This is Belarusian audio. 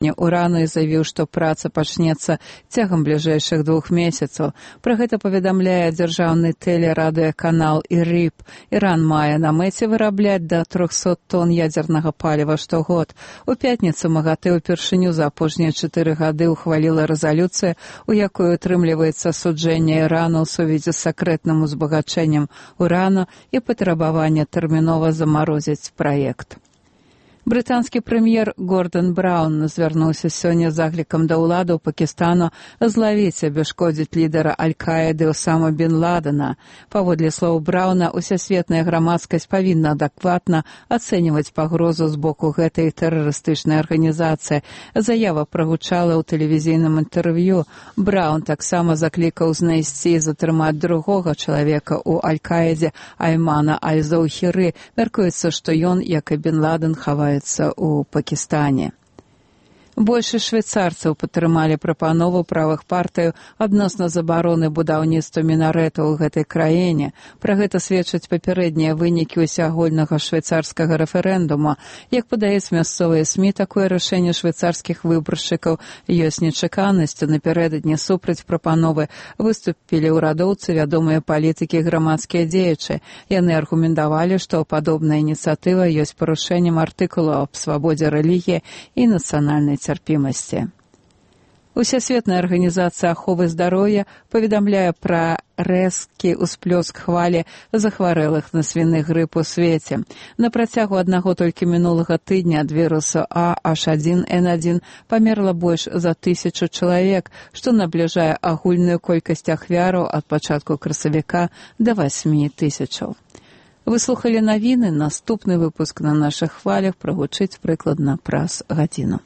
ўрану і заявіў, што праца пачнецца цягам бліжэйшых 2 месяцаў. Пра гэта паведамляе дзяржаўны тэлерадыёканал ІРИБ. Іран мае на мэце вырабляць да 300 тонн ядзернага паліва штогод. У пятніцу МАГАТЭ ўпершыню за апошнія 4 гады ухваліла рэзалюцыю, у якой утрымліваецца асуджэнне Ірану ў сувязі з сакрэтным узбагачэннем урану і патрабаванне тэрмінова замарозіць праект. Брытанскі прэм'ер Гордон Браўн звярнуўся сёння з заклікам да ўладаў Пакістану злавіць і абяшкодзіць лідара Аль-Каіды Усама бен Ладена. Паводле слоў Браўна, усесветная грамадскасць павінна адэкватна ацэньваць пагрозу з боку гэтай тэрарыстычнай арганізацыі. Заява прагучала ў тэлевізійным інтэрв'ю. Браўн таксама заклікаў знайсці і затрымаць другога чалавека ў Аль-Каідзе Аймана Аль-Заўхіры. Мяркуецца, што ён, як і бен Ладен, хаваецца у Пакістане. Большасць швейцарцаў падтрымалі прапанову правых партыяў адносна забароны будаўніцтва мінарэтаў у гэтай краіне. Пра гэта сведчаць папярэднія вынікі ўсеагульнага швейцарскага рэферэндума. Як падаюць мясцовыя СМІ, такое рашэнне швейцарскіх выбаршчыкаў ёсць нечаканасцю. Напярэдадні супраць прапановы выступілі ўрадоўцы, вядомыя палітыкі і грамадскія дзеячы. Яны аргументавалі, што падобная ініцыятыва ёсць парушэннем артыкулаў аб свабодзе рэлігіі і нацыянальнай цярпімасці. Усесветная арганізацыя аховы здароўя паведамляе пра рэзкі ўсплёск хвалі захварэлых на свіны грып у свеце. На працягу аднаго толькі мінулага тыдня ад вірусу H1N1 памерла больш за 1000 чалавек, што набліжае агульную колькасць ахвяраў ад пачатку красавіка да 8000. Вы слухалі навіны, наступны выпуск на нашых хвалях прагучыць прыкладна праз гадзіну.